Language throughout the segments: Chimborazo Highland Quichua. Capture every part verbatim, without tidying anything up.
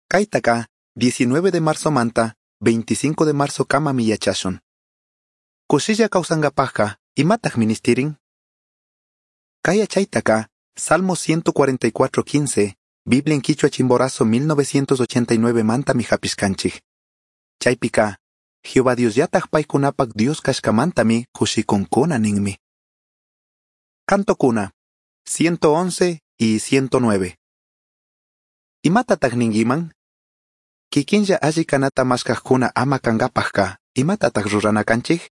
Kaitaka diecinueve de marzo manta veinticinco de marzo kamami yachashun. Kushilla kawsankapajka imataj ministirin? Kay yachaytaka Salmo ciento cuarenta y cuatro quince, Biblia en Quichua Chimborazo mil novecientos ochenta y nueve mantami hapishkanchik. Chaypika, Jehová Dios yataj paykunapak Dios kashkamantami kushikunkuna ninmi. Canto kuna, ciento once y ciento nueve. Imatataq ninkiman? Kikinlla alli kanata mashkajkuna ama kankapajka, imatataq rurana kanchik?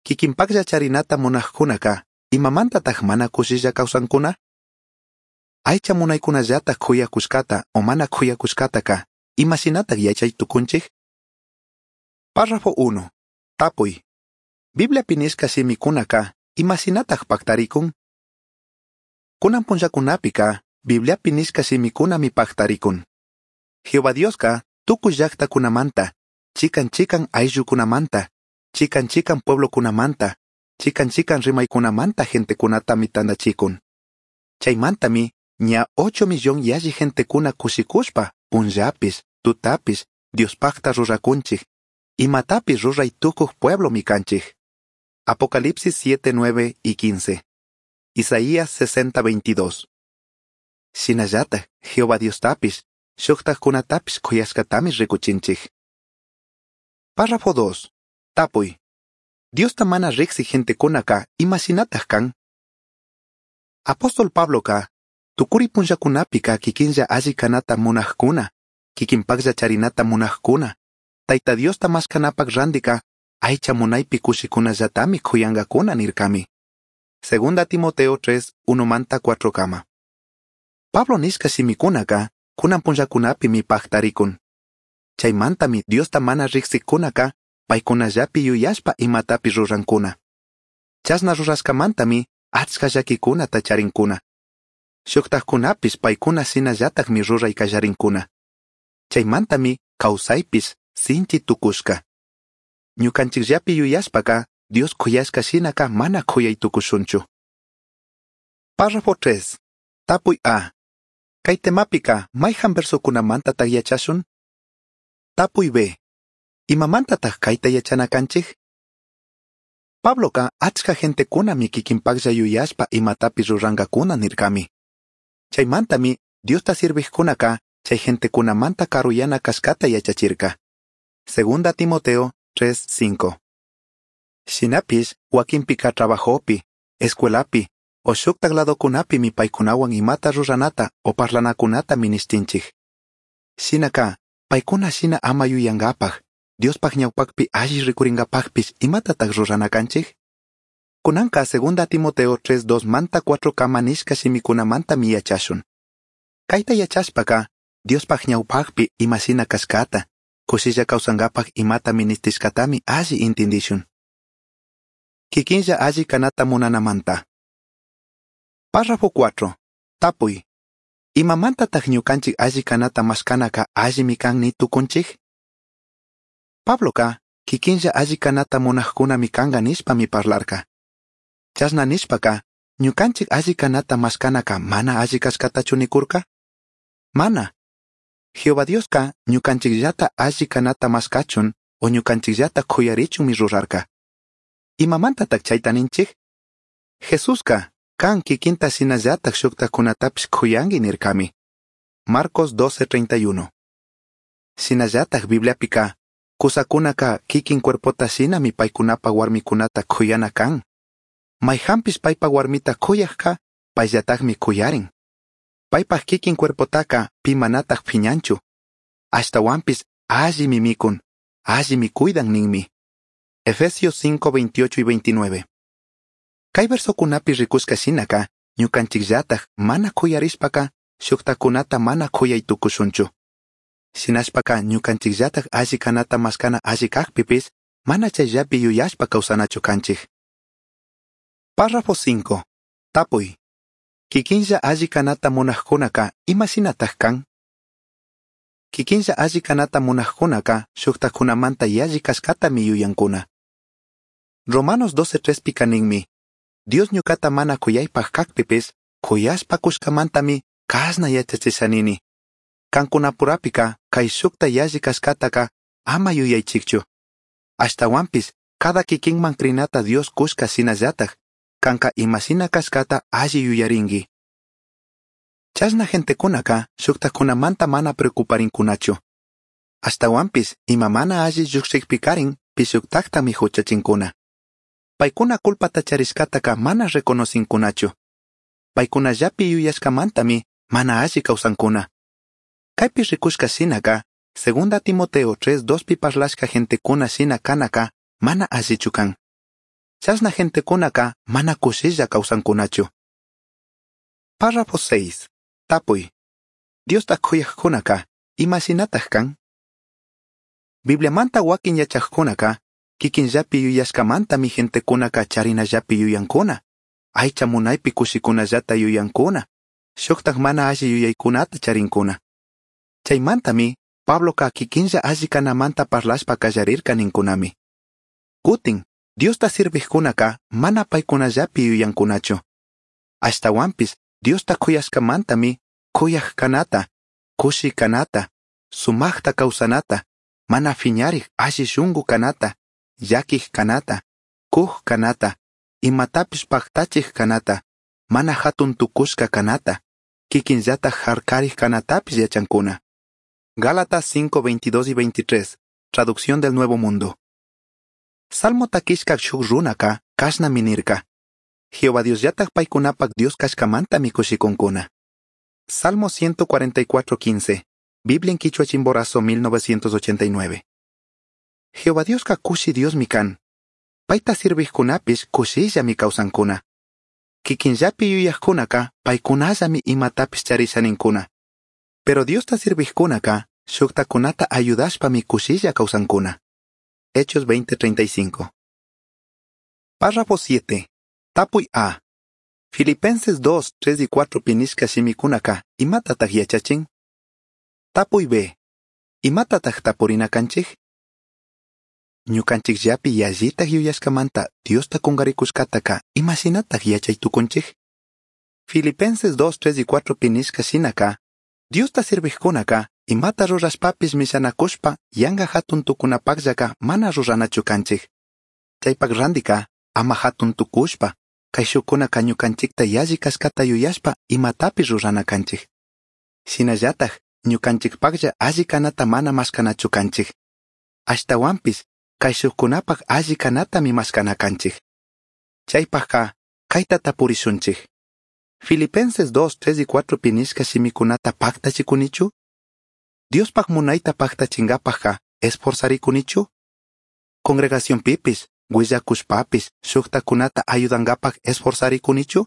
Kikinpaklla charinata munajkunaka, imamantataq mana kushilla kawsankuna? Aycha munaykunallataq khuyakushkata o mana khuyakushkataka, imashinataq yachay tukunchik? Párrafo uno. Tapuy. Bibliapi nishka shimikunaka, imashinataq paktarikun? Kunan punllakunapika, Bibliapi nishka shimikunami paktarikun. Jehová Dioska tukuy llaqtakunamanta, chikan chikan ayllukunamanta, chikan chikan pueblokunamanta, chikan chikan rimaykunamanta gentekunatami tantachikun. Chaymantami ña ocho millón yalli gentekuna kushikushpa punllapis, tutapis, Diospaqta rurakunchik, imatapis ruray tukuq pueblomi kanchik. Apocalipsis siete, nueve y quince. Isaías sesenta, veintidós. Shinallataq Jehová Diostapis, shuktajkunatapis khuyashkatami rikuchinchik. Párrafo dos. Tapuy. Diosta mana riqsi gentekunaka imashinataq kan? Apóstol Pabloka, tukuri punllakunapika kikinlla alli kanata munajkuna, kikinpaqlla charinata munajkuna, Tayta Diosta mashkanapak randika, aycha munaypi kushikunallatami khuyankakuna nirkami. Segunda Timoteo tres, uno manta cuatro kama. Pablo nishka shimikunaka, kunan punllakunapimi paktarikun. Chaymantami Diosta mana riqsikunaka, paykunallapi yuyashpa imatapi rurankuna. Chashna rurashkamantami achka llakikunata charinkuna. Shuktajkunapis paykuna shinallatakmi ruray kallarinkuna. Chaymantami kawsaypis sinchi tukushka. Ñukanchikllapi yuyashpaka Dios khuyashka shinaka mana khuyay tukushunchu. Párrafo tres. Tapuy A. Kay temapika mayhan versokunamantataq yachashun? Tapuy B. Imamantataq kayta yachana kanchik? Pabloka achka gentekunami kikinpaqlla yuyashpa imatapis rurankakuna nirkami. Chaymantami Diosta sirviqkunaka chay gentekunamanta karuyana kashkata yachachirka. Segunda Timoteo tres, cinco. Shinapis wakinpika trabajopi, escuelapi, o shuktak ladokunapimi paykunawan imata ruranata o parlanakunata ministinchik. Shinaka, paykuna shina ama yuyankapaj, Diospaj ñawpakpi alli rikurinkapajpis imatataq rurana kanchik? Kunanka Segunda Timoteo tres, dos manta cuatro kama nishka shimikunamantami yachashun. Kayta yachashpaka, Diospaj ñawpakpi imashina kashkata, kushilla kawsankapaj imata ministishkatami alli intindishun. Kikinlla alli kanata munanamanta. Párrafo cuatro. Tapuy. Imamantataq ñukanchik alli kanata mashkanaka allimi kan ni tukunchik? Pabloka kikinlla alli kanata munajkunami kanka nishpami parlarka. Chashna nishpaka, ñukanchik alli kanata mashkanaka mana alli kashkatachu nikurka? Mana. Jehová Dioska ñukanchikllata alli kanata mashkachun o ñukanchikllata khuyarichunmi rurarka. Imamantataq chayta ninchik? Jesuska kan kikinta shinallatak shuktakunatapis khuyanki nirkami. Marcos doce, treinta y uno. Shinallatak Bibliapika, kusakunaka kikin cuerpota shinami paykunapa warmikunata khuyana kan. Mayhanpis paypa warmita khuyajka, payllatakmi khuyarin. Paypaj kikin cuerpotaka pi manataq phiñanchu. Ashtawanpis allimi mikun, allimi cuidan ninmi. Efesios cinco, veintiocho y veintinueve. Kay versokunapi rikushka shinaka, ñukanchikllatak mana khuyarishpaka, shuktakunata mana khuyay tukushunchu. Shinashpaka ñukanchikllatak alli kanata mashkana alli kajpipis, mana chayllapi yuyashpa kawsanachu kanchik. Párrafo cinco. Tapuy. Kikinlla alli kanata munajkunaka imashinataj kan? Kikinlla alli kanata munajkunaka shuktakunamanta yalli kashkatami yuyankuna. Romanos doce tres pika ninmi, Dios ñukata mana kuyaypaj kakpipis, kuyashpa kushkamantami kashna yachachishanini. Cancunapurapica caishujta yalli cashcataca ama yuyaichijchu. Ashtahuanpish cada kikinman crinata Dios cushca shinallataj canca ima shina cashcata alli yuyaringui. Chashna gentecunaca shujtajcunamanta mana preocuparincunachu. Ashtahuanpish ima mana alli llujshijpicarin pishujtajtami juchachincuna. Paicuna culpata charishcataca mana reconocincunachu. Paicunallapi yuyashcamantami mana alli causancuna. Caipi ricushca shinaca, Segunda Timoteo tres dospi parlashca gentecuna shina canaca mana allichu can. Chashna gentecunaca mana cushilla causancunachu. Párrafo seis. Tapuy. Diosta kuyajkunaka, ima shinataj kan? Bibliamanta wakin yachajkunaka, kikinllapi yuyashkamantami gentekunaka charinallapi yuyankuna, aycha munaypi kushikunallata yuyankuna, shuktaj mana alli yuyaykunata charinkuna. Chaymantami, Pabloka kikinlla alli kanamanta parlashpa kallarirka ninkunami. Kutin, Diosta sirvijkunaka mana paykunallapi yuyankunachu. Ashtahuanpish, Diosta kuyashkamantami kuyaj kanata, kushi kanata, sumajta kawsanata, mana fiñarij alli shunku kanata, llaquij kanata, kuj kanata, imatapish paktachij kanata, mana hatun tukushka kanata, kikinllataj harkarij kanatapish yachankuna. Gálatas cinco, veintidós y veintitrés, traducción del Nuevo Mundo. Salmo takishka shuk runaka kashnami nirka. Jehová Diosllataj paykunapak Dios kashkamantami kushikunkuna. Salmo ciento cuarenta y cuatro, quince, Biblia en Quichua Chimborazo mil novecientos ochenta y nueve. Jehová Dioska kushi Diosmi kan. Payta sirvijkunapish kushillami kawsankuna. Kikinllapi yuyajkunaka paykunallami imatapish charishaninkuna. Pero Diosta sirvijkunaka shuktakunata ayudashpami kushilla kawsankuna. Hechos veinte treinta y cinco. Párrafo siete. Tapuy A. Filipenses dos, tres y cuatro pinishka shimikunaka imatataj yachachin? Tapuy B. Imatataj tapurina kanchij? Ñukanchikllapi yallitaj yuyashkamanta Diosta kungarikushkataka imashinataj yachay tukunchij? Filipenses dos, tres y cuatro pinishka shinaka, Diosta sirvijkunaka imata rurashpapis mishanakushpa yanga hatun tukunapakllaka mana ruranachu kanchij. Chaypak randika ama hatun tukushpa, kayshukkunaka ñukanchikta yalli kashkata yuyashpa imatapish rurana kanchij. Shinallataj ñukanchikpaklla alli kanata mana mashkanachu kanchij. Ashtahuanpish kayshukkunapak alli kanatami mashkana kanchij. Chaypajka kayta tapurishunchij. Filipenses dos, tres y cuatro pinishka shimikunata paktachikunichu? Diospaj munayta paktachingapajka esforzarikunichu? Congregacionpipis, willakushpapis, shuktakunata ayudankapaj esforzarikunichu?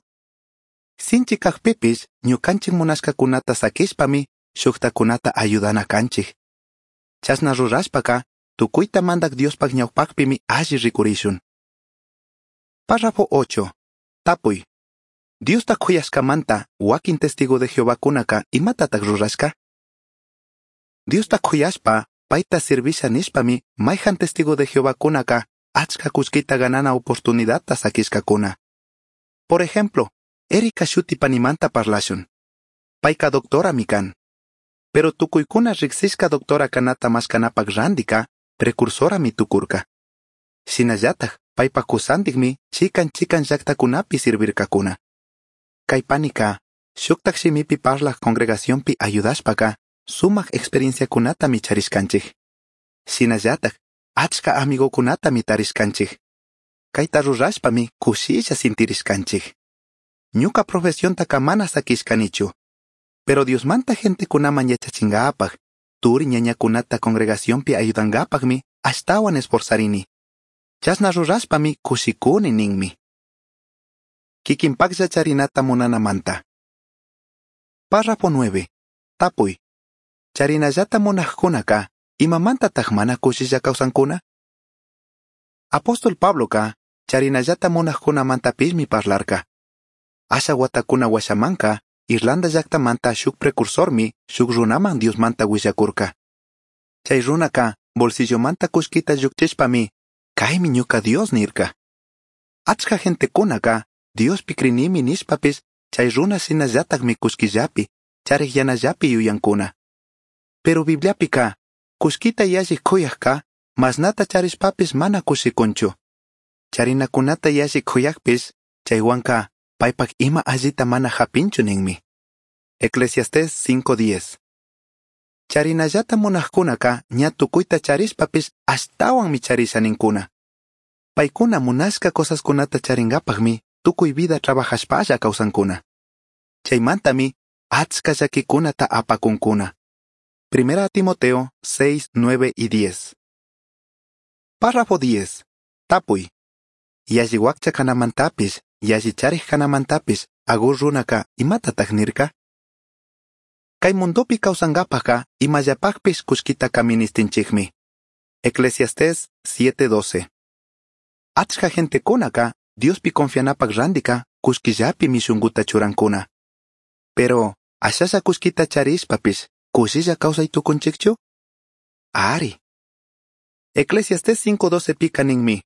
Sinchi kajpipis, ñukanchik munashkakunata sakishpami, shuktakunata ayudana kanchik. Chashna rurashpaka, tukuyta mandak Diospaj ñawpakpimi alli rikurishun. Párrafo ocho. Tapuy. Diosta kuyashkamanta, wakin testigo de Jehovakunaka imatataj rurashka? Diosta kuyashpa, payta servisha nishpami, mayhan testigo de Jehovakunaka achka kullkita ganana oportunidadta sakishkakuna. Por ejemplo, Erika shuti panimanta parlashun. Payka doctorami kan. Pero tukuykuna riksishka doctora kanata mashkanapak randika, precursorami tukurka. Shinallataj, paypa kusantikmi chikan chikan llaktakunapi sirvirkakuna. Kay panika, shuktak shimipi parlaj congregacionpi ayudashpaka, sumak experienciakunatami charishkanchik. Shinallataj, achka amigokunatami tarishkanchik. Kayta rurashpami kushilla sintirishkanchik. Ñuka profesiontaka mana sakishkanichu. Pero Diosmanta gentekunaman yachachingapaj, turi ñañakunata congregacionpi ayudankapajmi ashtawan esforzarini. Chashna rurashpami kushikuni ninmi. Kikinpaklla charinata munanamanta. Párrafo nueve. Tapuy. Charinallata munajkunaka, imamantataj mana kushilla kawsankuna? Apóstol Pabloka, charinallata munajkunamantapismi parlarka. Asha watakuna washamanka, Irlanda llaktamanta shuk precursormi shuk runaman Diosmanta willakurka. Chay runaka bolsillomanta kullkita llukchishpami, kaymi ñuka Dios nirka. Achka gentekunaka Diospi krinimi nishpapis chay runa shinallatakmi kullkillapi, charijyanallapi yuyankuna. Pero Bibliapica, cullquita yalli cuyajca, mashnata charishpapish mana cushicunchu. Charinacunata yalli cuyajpish, chaihuanca paipaj ima allita mana japinchu ninmi. Eclesiastés cinco diez. Charinallata munajcunaca ña tucuita charishpapish ashtahuanmi charisha nincuna. Paicuna munashca cosascunata charingapajmi tucui vida trabajashpalla causancuna. Chaimantami achca llaquicunata apacuncuna. Primera Timoteo seis, nueve y diez. Párrafo diez. Tapuy. Yalli huaccha canamantapish, yalli charij canamantapish, Agur runaka imatataj nirca? Kay mundopi kawsankapajka imallapajpish kullkitaka ministinchikmi. Eclesiastés siete doce. Achka gentekunaka Diospi confianapak randika kullkillapimi shunkuta churankuna. Pero, ashalla kullkita charishpapish, kushilla kawsay tukunchikchu? Ari. Eclesiastés cinco doce pika ninmi.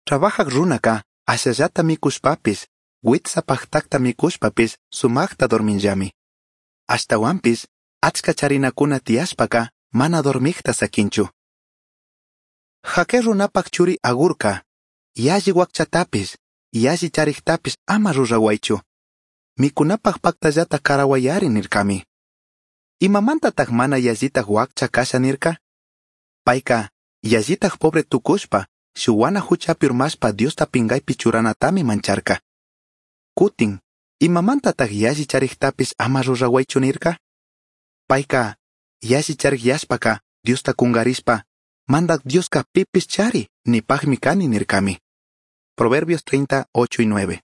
Trabajak runaka ashallata mikushpapish, witsapajtakta mikushpapish sumakta dorminllami. Ashtawanpish, achka charinakuna tiyashpaka mana dormikta sakinchu. Jaque runapak churi Agurka, yalli wakchatapish, yalli chariktapish ama rurawaychu. Mikunapak paktallata karawayari nirkami. Imamantataj mana yallitaj wakcha kasha nirka? Payka, yallitaj pobre tukushpa, shuwana huchapi urmashpa Diosta pingaypi churanatami mancharka. Kutin, imamantataj yalli chariktapish ama rurawaychu nirka? Payka, yalli charikyashpaka Diosta kungarishpa, mandak Dioska pipis chari, nipajmi kani nirkami. Proverbios treinta, ocho y nueve.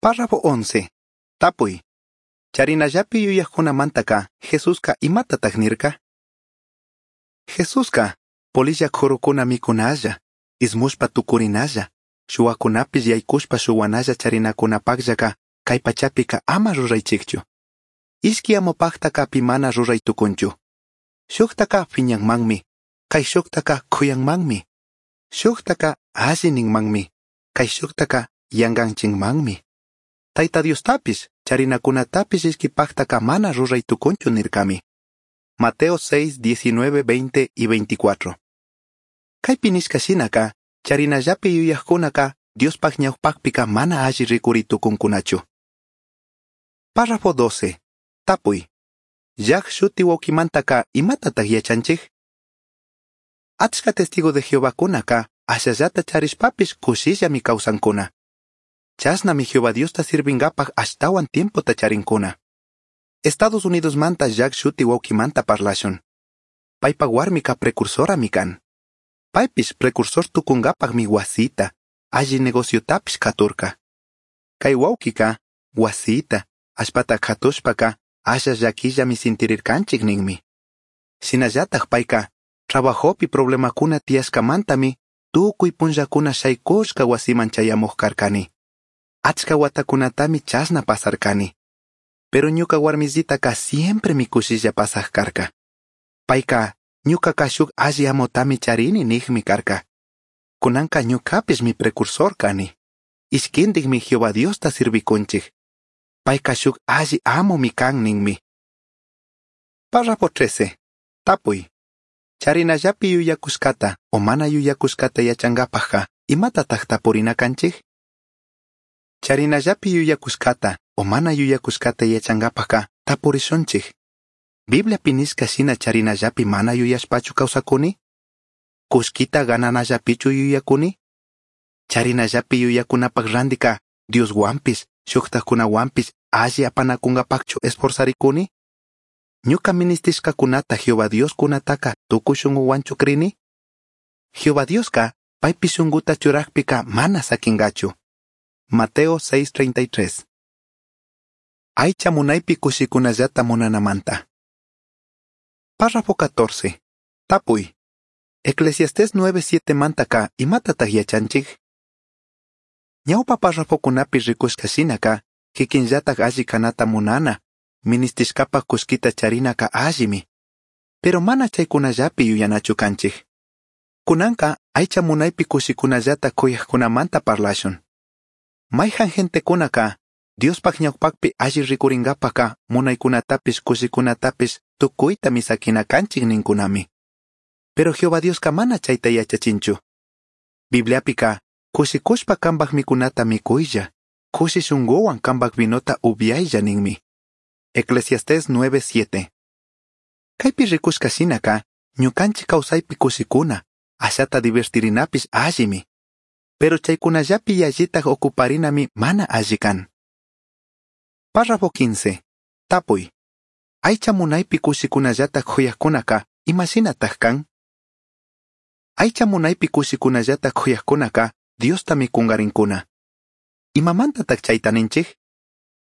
Párrafo once. Tapuy. Charinallapi yuyajkunamantaka Jesuska imatataj nirka? Jesuska polilla khurukuna mikunalla, ismushpa tukurinalla, shuwakunapish yaykushpa shuwanalla charinakunapakllaka kay pachapika ama ruraychikchu. Ishki amopaqtaka pi mana ruray tukunchu. Shuktaka phiñanmanmi, kay shuktaka khuyanmanmi. Shuktaka alli ninmanmi, kay shuktaka yanganchinmanmi. Tayta Diostapis, charinakunatapis ishkipaqtaka mana ruray tukunchu nirkami. Mateo seis, diecinueve, veinte y veinticuatro. Kaypi nishka shinaka, charinallapi yuyajkunaka Diospaj ñawpaqpika mana alli rikuri tukunkunachu. Párrafo doce. Tapuy. Jack shuti wawkimantaka imatataj yachanchik? Achka testigo de Jehovakunaka ashallata charishpapish kushillami kawsankuna. Chashnami Jehová Diosta sirvinkapaj ashtawan tiempota charinkuna. Estados Unidos manta Jack shuti wawkimanta parlashun. Paypa warmika precursorami kan. Paypish precursor tukunkapajmi wasita, alli negociotapish katurka. Kay wawkika, wasita, allpata katushpaka, asha llakillami sintirirkanchik ninmi. Shinallataj payka, trabajopi problemakuna tiyashkamantami, tukuy punllakuna shaykushka wasiman chayamuj karkani. Achka watakunatami chashna pasarkani. Pero ñuka warmisitaka siempre mi kushilla pasaj karka. Payka, ñukaka shuk alli amotami charini nijmi karka. Kunanka ñukapish mi precursor kani. Ishkintikmi Jehová Diosta sirvikunchik. Payka shuk alli amomi kan ninmi. Párrafo trece. Tapuy. Charinallapi yuyakushkata o mana yuyakushkata yachankapajka imatataj tapurina kanchik? Charinallapi yuyakushkata o mana yuyakushkata yachankapajka tapurishunchik. Bibliapi nishka shina charinallapi mana yuyashpachu kawsakuni? Kullkita gananallapichu yuyakuni? Charinallapi yuyakunapaj randika Dioswanpish, shuktajkunawanpish alli apanakunkapajchu esforzarikuni? Ñuka ministishkakunata Jehová Dios kunataka tukuy shunkuwanchu krini? Jehová Dioska paypi shunkuta churakpika mana sakinkachu. Mateo seis treinta y tres. Aycha munaypi kushikunallata munanamanta. Párrafo catorce. Tapuy. Eclesiastés nueve siete mantaka imatataj yachanchik? Ñawpa párrafokunapi rikushka shinaka, kikinllataj alli kanata munana, ministishkapaj kullkita charinaka allimi. Pero mana chaykunallapi yuyanachu kanchik. Kunanka aycha munaypi kushikunallata kuyajkunamanta parlashun. Mayjan gentekunaka Diospaj ñawpajpi alli ricuringapajca munaicunatapish cushicunatapish tucuitami saquina canchij nincunami. Pero Jehová Diosca mana chaita yachachinchu. Bibliapica cushicushpa cambaj micunata micuilla, cushi shunguhuan cambaj vinota upiailla ninmi. Eclesiastés nueve siete. Caipi ricushca shinaca, ñucanchij causaipi cushicuna, ashata divertirinapish allimi. Pero chaicunallapi yallitaj ocuparinami mana alli can. Párrafo quince. Tapuy. Aycha munaypi kushikunallata khuyaqkunaka imashinataj kan? Aycha munaypi kushikunallata khuyaqkunaka Diostami kunkarinkuna. Imamantataq chayta ninchik?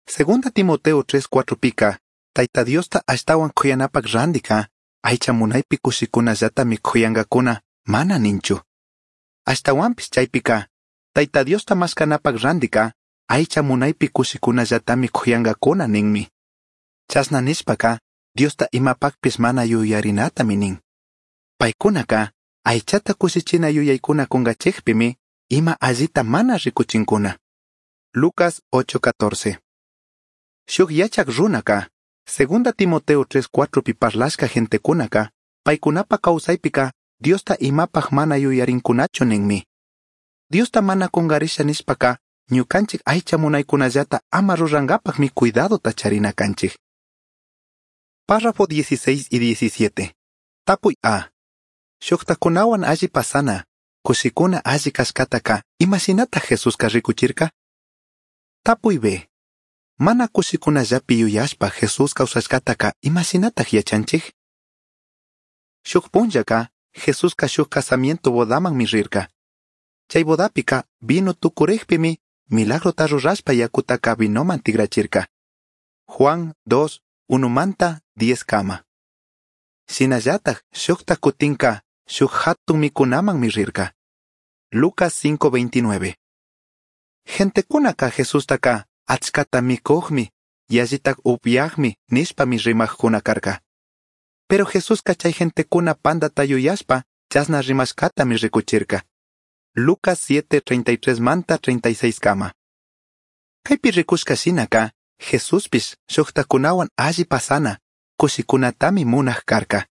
Segunda Timoteo tres cuatro pika, Tayta Diosta ashtawan khuyanapak randika, aycha munaypi kushikunallatami khuyankakuna mana ninchu. Ashtawanpis chaypika, Tayta Diosta mashkanapak randika, aycha munaypi kushikunallatami khuyankakuna ninmi. Chashna nishpaka, Diosta imapakpis mana yuyarinatami nin. Paykunaka, aychata kushichina yuyaykuna kunkachikpimi, ima allita mana rikuchinkuna. Lucas ocho catorce. Shuk yachak runaka, Segunda Timoteo tres cuatro pi parlashka gentekunaka, paykunapa kawsaypika, Diosta imapaj mana yuyarinkunachu ninmi. Diosta mana kunkarisha nishpaka, ñukanchik aycha munaykunallata ama rurankapaqmi cuidadota charina kanchik. Párrafo dieciséis y diecisiete. Tapuy A. Shuktakunawan alli pasana, kushikuna alli kashkataka, imashinata Jesuska rikuchirka? Tapuy B. Mana kushikunallapi yuyashpa Jesús kawsashkataka imashinataq yachanchik? Shuk punllaka, Jesuska shuk casamiento bodamanmi rirka. Chay bodapika vino tukurikpimi milagrota rurashpa yakutaka vinoman tigrachirka. Juan dos, unomanta diez kama. Shinallataj shukta kutinka shuk hatun mikunamanmi rirka. Lucas cinco veintinueve. Gentekunaka Jesustaka achkata mikuqmi, yallitak upyaqmi nishpami rimaqkuna karka. Pero Jesuska chay gentekuna pandata yuyashpa chasna rimashkatami rikuchirka. Lucas siete treinta y tres manta treinta y seis kama. Kaypi rikushka shinaka, Jesuspish shuktakunawan alli pasana, kushikunatami munaq karka.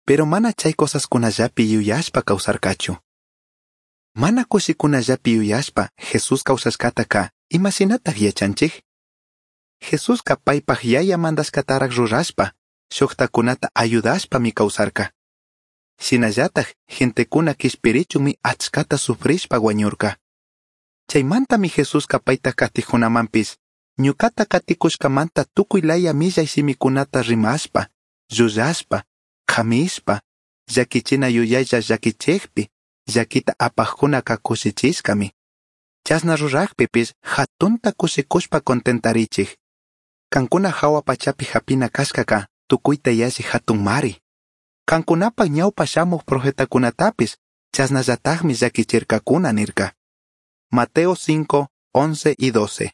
Pero mana chay cosaskunallapi yuyashpa kawsarkachu. Mana kushikunallapi yuyashpa Jesús kawsashkataka imashinataq yachanchik? Jesuska paypaj yaya mandashkataraq rurashpa, shuktakunata ayudashpami kawsarka. Shinallataj gentekuna kishpirichunmi achkata sufrishpa wañurka. Chaymantami Jesuska payta katikunamanpis, ñukata katikushkamanta tukuy laya millay shimikunata rimashpa, llullashpa, qhamishpa, llakichina yuyaylla llakichikpi, llakita apajkunaka kushichishkami. Chashna rurajpipis hatunta kushikushpa contentarichik. Kankuna hawa pachapi hapina kashkaka tukuyta yalli hatun mari. Kankunapaj ñawpa shamuj profetakunatapis chashnallatajmi llakichirkakuna nirka. Mateo cinco, once y doce.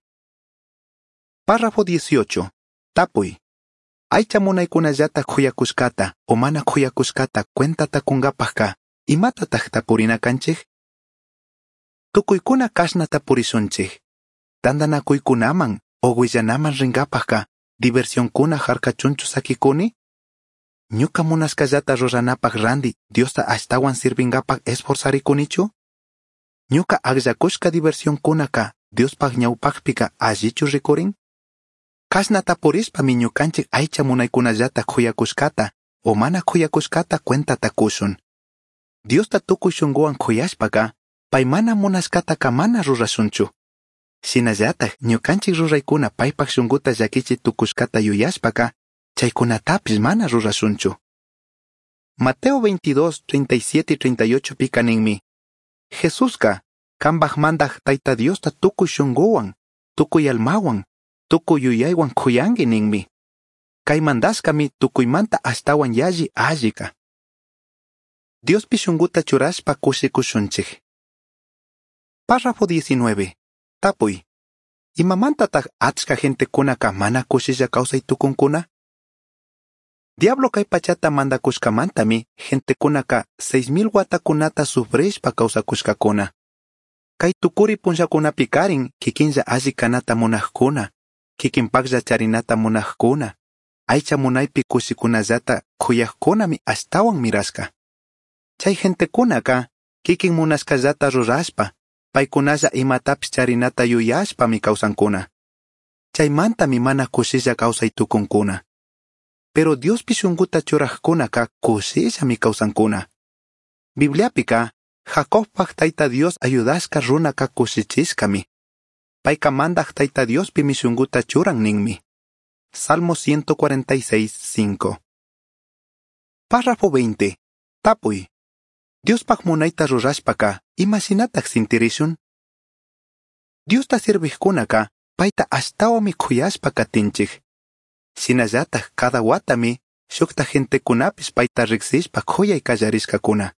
Párrafo dieciocho. Tapuy. Aycha munaykunallata khuyakushkata o mana khuyakushkata cuentata kunkapajka imatataq tapurina kanchik? Tukuykuna kashna tapurishunchik. Tantanakuykunaman o willanaman rinkapajka diversionkuna harkachunchu sakikuni? Ñuka munashkallata ruranapaj randi Diosta ashtawan sirvinkapaj esforzarikunichu? Ñuka akllakushka diversionkunaka Diospaj ñawpajpika allichu rikurin? Kashna tapurishpami ñukanchik aycha munaykunallata khuyakushkata o mana khuyakushkata cuentata kushun. Diosta tukuy shunkuwan khuyashpaka pay mana munashkataka mana rurashunchu. Shinallataj ñukanchik ruraykuna paypaj shunkuta llakichi tukushkata yuyashpaka chaykunatapis mana rurashunchu. Mateo veintidós, treinta y siete y treinta y ocho pika ninmi. Jesuska kambaj mandaj Tayta Diosta tukuy shunkuwan, tukuy almawan, tukuy yuyaywan khuyanki ninmi. Kay mandashkami tukuymanta ashtawan yalli allika. Diospi shunkuta churashpa kushikushunchik. Párrafo diecinueve. Tapuy. Imamantataq achka gentekunaka mana kushilla kawsay tukunkuna? Diablo kay pachata mandakushkamantami gentekunaka seis mil watakunata sufrishpa kawsakushkakuna. Kay tukuri punllakunapikarin kikinlla alli kanata munajkuna, kikinpaklla charinata munajkuna, aycha munaypi kushikunallata kuyajkunami ashtawan mirashka. Chay gentekunaka kikin munashkallata rurashpa, paykunalla imatapish charinata yuyashpami kawsankuna. Chaymantami mana kushilla kawsay tukunkuna. Pero Diospi shunkuta churajkunaka kushillami kawsankuna. Bibliapika Jacobpaj Tayta Dios ayudashka runaka kushichishkami. Payka mandaj Tayta Diospimi shunkuta churan ninmi. Salmo ciento cuarenta y seis, cinco. Párrafo veinte. Tapuy. Diospaj munayta rurashpaka, imashinataj sintirishun? Diosta sirvijkunaka, payta ashtawami kuyashpa katinchik. Shinallataj cada watami, shukta gentekunapish payta riksishpa kuyay kallarishkakuna.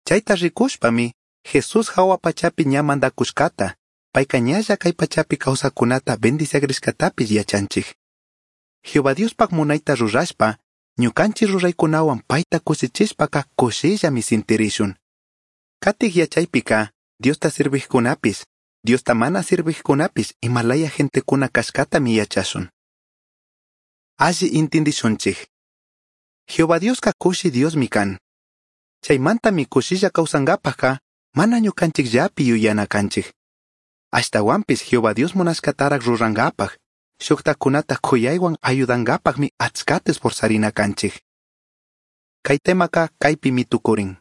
Chayta rikushpami, Jesús hawa pachapi ña mandakushkata, payka ñalla kay pachapi kawsakunata bendiciagrishkatapish yachanchik. Jehová Diospaj munayta rurashpa, ñukanchik ruraykunawan payta kushichishpaka kushillami sintirishun. Katik yachaypika, Diosta sirvijkunapis, Diosta mana sirvijkunapis imalaya gentekuna kashkatami yachashun. Alli intindishunchik. Jehová Dioska kushi Diosmi kan. Chaymantami kushilla kawsankapajka mana ñukanchikllapi yuyana kanchik. Ashtawanpis Jehová Dios munashkatarak rurankapaj, shuktakunata kuyaywan ayudankapajmi achkata esforzarina kanchik. Kay temaka kaypimi tukurin.